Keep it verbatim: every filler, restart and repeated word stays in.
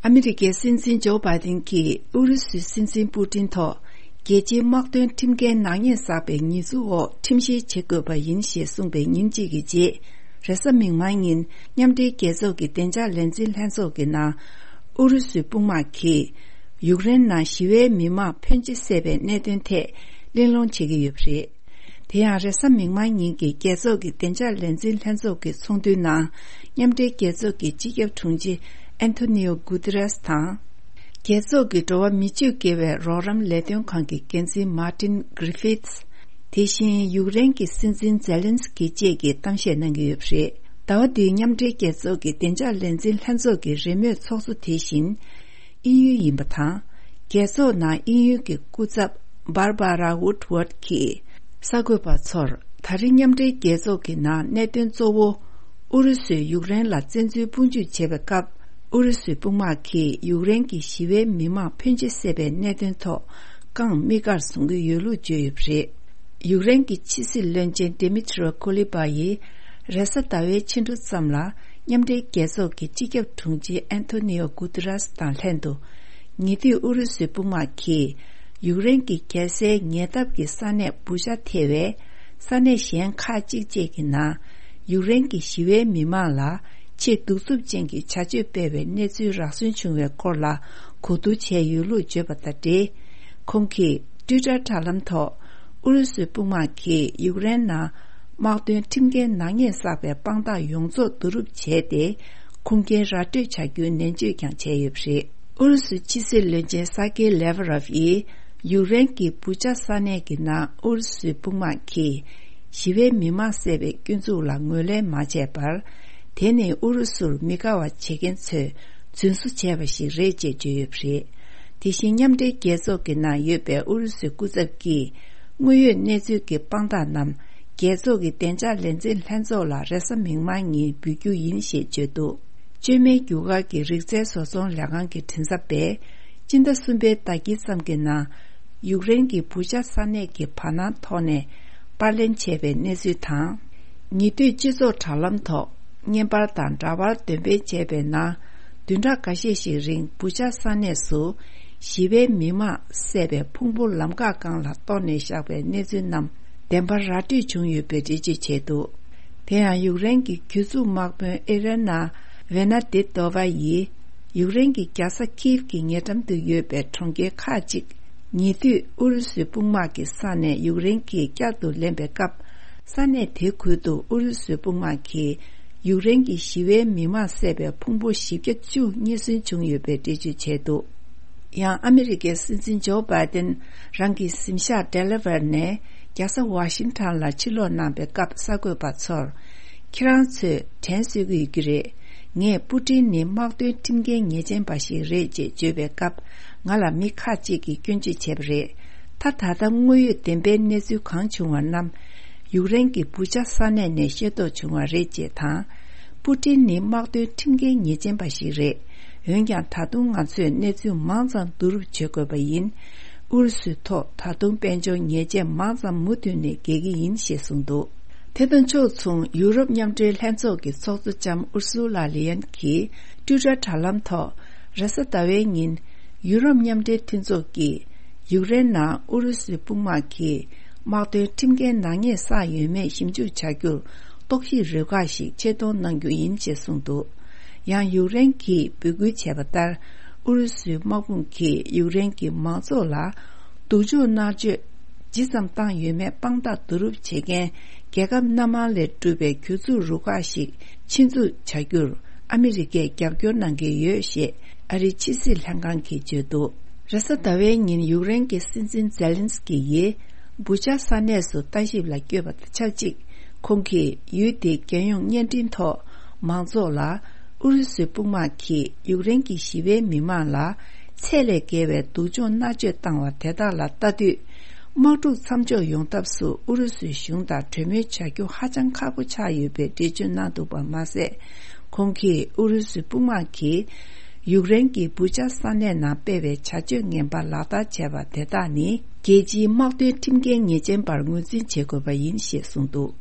ཨ་མི་རི་ཀའི་སྲིད་འཛིན་ཇོ་བྷའི་ཏིན་གྱིས་ཨུ་རུ་སུའི་སྲིད་འཛིན་པུ་ཏིན་ཐོག་རྒྱལ་སྤྱིའི་དམག་དོན་ཁྲིམས་འགལ་ནག་ཉེས་བསགས་པའི་ཉེས་འཛུགས་འོག་ཁྲིམས་བཤེར་བྱེད་དགོས་པ་ཡིན་ཞེས་གསུངས་པའི་ཉིན་གཅིག་གི་རྗེས། རེས་གཟའ་མིག་དམར་ཉིན་མཉམ་འབྲེལ་རྒྱལ་ཚོགས་ཀྱི་བདེ་འཇགས་ལས་འཛིན་ལྷན་ཚོགས་ཀྱི་ནང་། ཨུ་རུ་སུའི་དཔུང་དམག་གིས་ཡུཀ་རེན་ནང་ཞི་བའི་མི་མང་ཕོན་ཆེ་བསད་པའི་གནད་དོན་ཐད་གླེང་སློང་བྱེད་ཀྱི་ཡོད་པ་རེད། དེ་ཡང་རེས་གཟའ་མིག་དམར་ཉིན་གྱི་རྒྱལ་ཚོགས་ཀྱི་བདེ་འཇགས་ལས་འཛིན་ལྷན་ཚོགས་ཀྱི་ཚོགས་འདུའི་ནང་། མཉམ་འབྲེལ་རྒྱལ་ཚོགས་ཀྱི་སྤྱི་ཁྱབ་དྲུང་ཆེ་ཨན་ཐོ་ནི་ཨོ་གུ་ཏི་རེས་དང་། རྒྱལ་ཚོགས་ཀྱི་འགྲོ་བ་མི་སྤྱོད་དགེ་བའི་རོགས་རམ་ལས་དོན་ཁང་གི་འགན་འཛིན་མཱ་ཏིན་གྷི་རི་ཕིཐ། དེ་བཞིན་ཡུཀ་རེན་གྱི་སྲིད་འཛིན་ཛེ་ལན་སི་ཀི་བཅས་ཀྱིས་གཏམ་བཤད་གནང་གི་ཡོད་པ་རེད། ཟླ་བ་འདིའི་མཉམ་འབྲེལ་རྒྱལ་ཚོགས་ཀྱི་བདེ་འཇགས་ལས་འཛིན་ལྷན་ཚོགས་ཀྱི་རེས་མོས་ཚོགས་གཙོ་དེ་བཞིན། དབྱིན་ཡུལ་ཡིན་པ་དང་། རྒྱལ་ཚོགས་ནང་དབྱིན་ཡུལ་གྱི་སྐུ་ཚབ་Barbara Woodward་གྱིས་གསར་འགོད་པ་ཚོར། ད་རེས་མཉམ་འབྲེལ་རྒྱལ་ཚོགས་ཀྱི་ནང་གནད་དོན་གཙོ་བོ། ཨུ་རུ་སུས་ཡུཀ་རེན་ལ་བཙན་འཛུལ་དཔུང་འཇུག་བྱེད་པའི་སྐབས། ཨུ་རུ་སུའི་དཔུང་དམག་གིས་ཡུཀ་རེན་གྱི་ཞི་བའི་མི་མང་ཕོན་ཆེ་བསད་པའི་གནད་དོན་ཐོག་རྐང་མིག་དཀར་བཟུང་གི་ཡོད་ལུགས་བརྗོད་ཡོད་པ་རེད། ཡུཀ་རེན་གྱི་ཕྱི་སྲིད་བློན་ཆེན་Dmytro Kuleba་ཡིས་རེས་གཟའ་ཟླ་བའི་ཕྱི་དྲོ་ཙམ་ལ་མཉམ་འབྲེལ་རྒྱལ་ཚོགས་ཀྱི་སྤྱི་ཁྱབ་དྲུང་ཆེ་ཨན་ཐོ་ནི་ཨོ་གུ་ཏི་རེས་དང་ལྷན་དུ། ཉེ་དུས་ཨུ་རུ་སུའི་དཔུང་དམག་གིས་ཡུཀ་རེན་གྱི་རྒྱལ་སའི་ཉེ་འདབས་ཀྱི་ས་གནས་བུ་ཆ་ཐེ་བའི་ས་གནས་གཞན་ཁག་ཅིག་བཅས་ཀྱི་ནང་། ཡུཀ་རེན་གྱི་ཞི་བའི་མི་མང་ལ་ཆེས་གདུག་རྩུབ་ཅན་གྱི་བྱ་སྤྱོད་སྤེལ་བའི་གནས་ཚུལ་རག་སོན་བྱུང་བའི་སྐོར་ལ་གོ་བསྡུར་བྱས་ཡོད་ལུགས་བརྗོད་པ་དང་འབྲེལ། ཁོང་གིས་ཊུའི་ཊར་དྲ་ལམ་ཐོག་ཨུ་རུ་སུའི་དཔུང་དམག་གིས་ཡུཀ་རེན་ནང་དམག་དོན་ཁྲིམས་འགལ་ནག་ཉེས་བསགས་པའི་དཔང་རྟགས་ཡོངས་རྫོགས་བསྡུ་རུབ་བྱས་ཏེ། ཁུངས་སྐྱེལ་ར་སྤྲོད་བྱ་རྒྱུའི་ནན་བརྗོད་ཀྱང་བྱས་ཡོད་པ་རེད། ཨུ་རུ་སུའི་ཕྱི་སྲིད་བློན་ཆེན་ས་ཀེ་ལེ་ཝ་རོབ་ཡིས་ཡུཀ་རེན་གྱི་བུ་ཆ་ས་གནས་ཀྱི་ནང་ཨུ་རུ་སུའི་དཔུང་དམག་གིས་ཞི་བའི་མི་མང་བསད་པའི་སྐྱོན་འཛུགས་ལ་ངོས་ལེན་མ་བྱས་པར། དེ་ནི་ཨུ་རུ་སུར་མི་དགའ་བ་བྱེད་མཁན་ཚོས་རྫུན་བཟོ་བྱས་པ་ཞིག་རེད་ཅེས་བརྗོད་ཡོད་པ་རེད། དེ་བཞིན་མཉམ་འབྲེལ་རྒྱལ་ཚོགས་ཀྱི་ནང་ཡོད་པའི་ཨུ་རུ་སུའི་སྐུ་ཚབ་ཀྱིས་དངོས་ཡོད་གནས་ཚུལ་གྱི་དཔང་རྟགས་རྣམས་རྒྱལ་ཚོགས་ཀྱི་བདེ་འཇགས་ལས་འཛིན་ལྷན་ཚོགས་ལ་རེས་གཟའ་མིག་དམར་ཉིན་འབུལ་རྒྱུ་ཡིན་ཞེས་བརྗོད་འདུག་བཅོས་མའི་རྒྱུ་སྐར་གྱི་རིག་རྩལ་བཟོ་ཚོང་ལས་ཁང་གི་མགྲིན་ཚབ་པས་སྤྱི་ཟླ་གསུམ་པའི་ཟླ་དཀྱིལ་ཙམ་གྱི་ནང་ཡུཀ་རེན་གྱི་བུ་ཆ་ས་གནས་ཀྱི་བར་སྣང་ཐོག་ནས་པར་ལེན་བྱས་པའི་གནས་ཚུལ་དང་། ཉེ་དུས་སྤྱི་ཚོགས་དྲ་ལམ་ཐོག་བརྙན་པར་དང་འདྲ་པར་འདོན་སྤེལ་བྱས་པའི་ནང་། བདུན་ཕྲག་འགའ་ཤས་ཤིག་རིང་བུ་ཆ་ས་གནས་སུ་ཞི་བའི་མི་མང་བསད་པའི་ཕུང་པོ་ལམ་འགག་སྒང་ལ་གཏོར་ནས་བཞག་པའི་གནས་ཚུལ་རྣམས་བདེན་པར་ར་སྤྲོད་བྱུང་ཡོད་པའི་འགྲེལ་བརྗོད་བྱས་འདུག་དེ་ཡང་ཡུཀ་རེན་གྱི་གྱོད་འཛུགས་དམག་དཔོན་ཨི་རེ་ན་ཝེ་ན་དེ་ཏོ་ཝ་ཡིས་ཡུཀ་རེན་གྱི་རྒྱལ་ས་ཁིབ་ཀྱི་ཉེ་འགྲམ་དུ་ཡོད་པའི་གྲོང་ཁྱེར་ཁག་ཅིག་ཉེ་དུས་ཨུ་རུ་སུའི་དཔུང་དམག་གི་ས་ནས་ཡུཀ་རེན་གྱིས་བསྐྱར་དུ་ལེན་པའི་སྐབས། ས་གནས་དེའི་ཁུལ་དུ་ཨུ་རུ་སུའི་དཔུང་དམག་གིས་ཡུཀ་རེན་གྱི་ཞི་བའི་མི་མང་བསད་པའི་ཕུང་པོ་བཞི་བརྒྱ་བཅུ་རྙེད་སོན་བྱུང་ཡོད་པའི་འགྲེལ་བརྗོད་བྱས་འདུག་ཡང་ཨ་མི་རི་ཀའི་སྲིད་འཛིན་ཇོ་བྷའི་ཏན་རང་གི་གཟིམ་ཤག་ཌེ་ལ་ཝེར་ནས་རྒྱལ་ས་ཝ་ཤིང་ཊོན་ལ་ཕྱིར་ལོག་གནང་པའི་སྐབས་གསར་འགོད་པ་ཚོར། ཁྱེད་རང་ཚོས་དྲན་གསོས་ཀྱི་ཡོད་ཀྱི་རེད། ངས་པུ་ཏིན་ནི་དམག་དོན་ཁྲིམས་འགལ་ཉེས་ཅན་པ་ཞིག་རེད་ཅེས་བརྗོད་པའི་སྐབས། ང་ལ་མི་ཁག་ཅིག་གིས་སྐྱོན་བརྗོད་བྱས་པ་རེད། ད་ད་ལྟ་དངོས་ཡོད་བདེན་པའི་གནས་ཚུལ་གང་བྱུང་བ་རྣམས། ཡུཀ་རེན་གྱི་བུ་ཆ་ས་གནས་ནས་ཤེས་རྟོགས་བྱུང་བ་རེད་ཅེས་དང་། པུ་ཏིན་ནི་དམག་དོན་ཁྲིམས་འགལ་ཉེས་ཅན་པ་ཞིག་རེད། འོན་ཀྱང་ད་དུང་ང་ཚོས་གནས་ཚུལ་མང་ཙམ་བསྡུ་རུབ་བྱེད་དགོས་པ་ཡིན། ཨུ་རུ་སུའི་ཐོག་ད་དུང་དཔལ་འབྱོར་ཉེས་ཆད་མང་ཙམ་མུ་མཐུད་ནས་འགེལ་གྱི་ཡིན་ཞེས་གསུངས་འདུག་དེ་དང་ཕྱོགས་མཚུངས། ཡུ་རོབ་མཉམ་འབྲེལ་ལྷན་ཚོགས་ཀྱི་ཚོགས་གཙོ་ལྕམ་ཨུར་སུ་ལ་ལི་ཡན་གྱིས་ཊུའི་ཊར་དྲ་ལམ་ཐོག་རེས་གཟའ་ཟླ་བའི་ཉིན། ཡུ་རོབ་མཉམ་འབྲེལ་མཐུན་ཚོགས་ཀྱིས་ཡུཀ་རེན་ནང་ཨུ་རུ་སུའི་དཔུང་དམག་གིས་དམག་དོན་ཁྲིམས་འགལ་ནག་ཉེས་བསགས་ཡོད་མེད་ཞིབ་འཇུག་བྱ་རྒྱུར་རྟོག་ཞིབ་རུ་ཁག་ཞིག་ཆེད་གཏོང་གནང་རྒྱུ་ཡིན་ཞེས་གསུངས་འདུག་ཡང་ཡུཀ་རེན་གྱིས་འབོད་སྐུལ་བྱས་པ་ལྟར། ཨུ་རུ་སུའི་དམག་དཔུང་གིས་ཡུཀ་རེན་གྱི་མང་ཚོགས་ལ་སྡུག་སྦྱོང་མནར་གཅོད་ཇི་ཙམ་བཏང་ཡོད་མེད་དཔང་རྟགས་བསྡུ་རུབ་བྱེད་མཁན་རྒྱལ་ཁབ་སྣ་མང་ལས་གྲུབ་པའི་གྱོད་འཛུགས་རུ་ཁག་ཞིག་ཆེད་འཛུགས་བྱ་རྒྱུར་ཨ་མི་རི་ཀས་རྒྱབ་སྐྱོར་གནང་གི་ཡོད་ཞེས་ཨ་རིའི་ཕྱི་སྲིད་ལྷན་ཁང་གིས་བརྗོད་འདུག་རེས་གཟའ་ཟླ་བའི་ཉིན་ཡུཀ་རེན་གྱི་སྲིད་འཛིན་ཛེ་ལན་སི་ཀི་ཡིས་བུ་ཆ་ས་གནས་སུ་ལྟ་ཞིབ་ལ་བསྐྱོད་པ་དང་ཆབས་ཅིག་ཁོང་གིས་ཡུལ་དེའི་རྒྱལ་ཡོངས་བརྙན་འཕྲིན་ཐོག་མང་ཚོགས་ལ། ཨུ་རུ་སུའི་དཔུང་དམག་གིས་ཡུཀ་རེན་གྱི་ཞི་བའི་མི་མང་ལ་ཚད་ལས་བརྒལ་བའི་སྡུག་སྦྱོང་མནར་གཅོད་བཏང་བ་དེ་དག་ལ་ལྟ་དུས། དམག་འཁྲུག་མཚམས་འཇོག་ཡོང་ཐབས་སུ་ཨུ་རུ་སུའི་གཞུང་དང་གྲོས་མོལ་བྱ་རྒྱུ་ཧ་ཅང་ཁག་པོ་ཆགས་ཡོད་པའི་འགྲེལ་བརྗོད་གནང་འདུག་པ་མ་ཟད། ཁོང་གིས་ཨུ་རུ་སུའི་དཔུང་དམག་གིས་ཡུཀ་རེན་གྱི་བུ་ཆ་ས་གནས་ནང་སྤེལ་བའི་བྱ་སྤྱོད་ངན་པ་ལག་བསྟར་བྱས་པ་དེ་དག་ནི་རྒྱལ་སྤྱིའི་དམག་དོན་ཁྲིམས་འགལ་ཉེས་ཅན་པར་ངོས་འཛིན་བྱེད་དགོས་པ་ཡིན་ཞེས་གསུངས་འདུག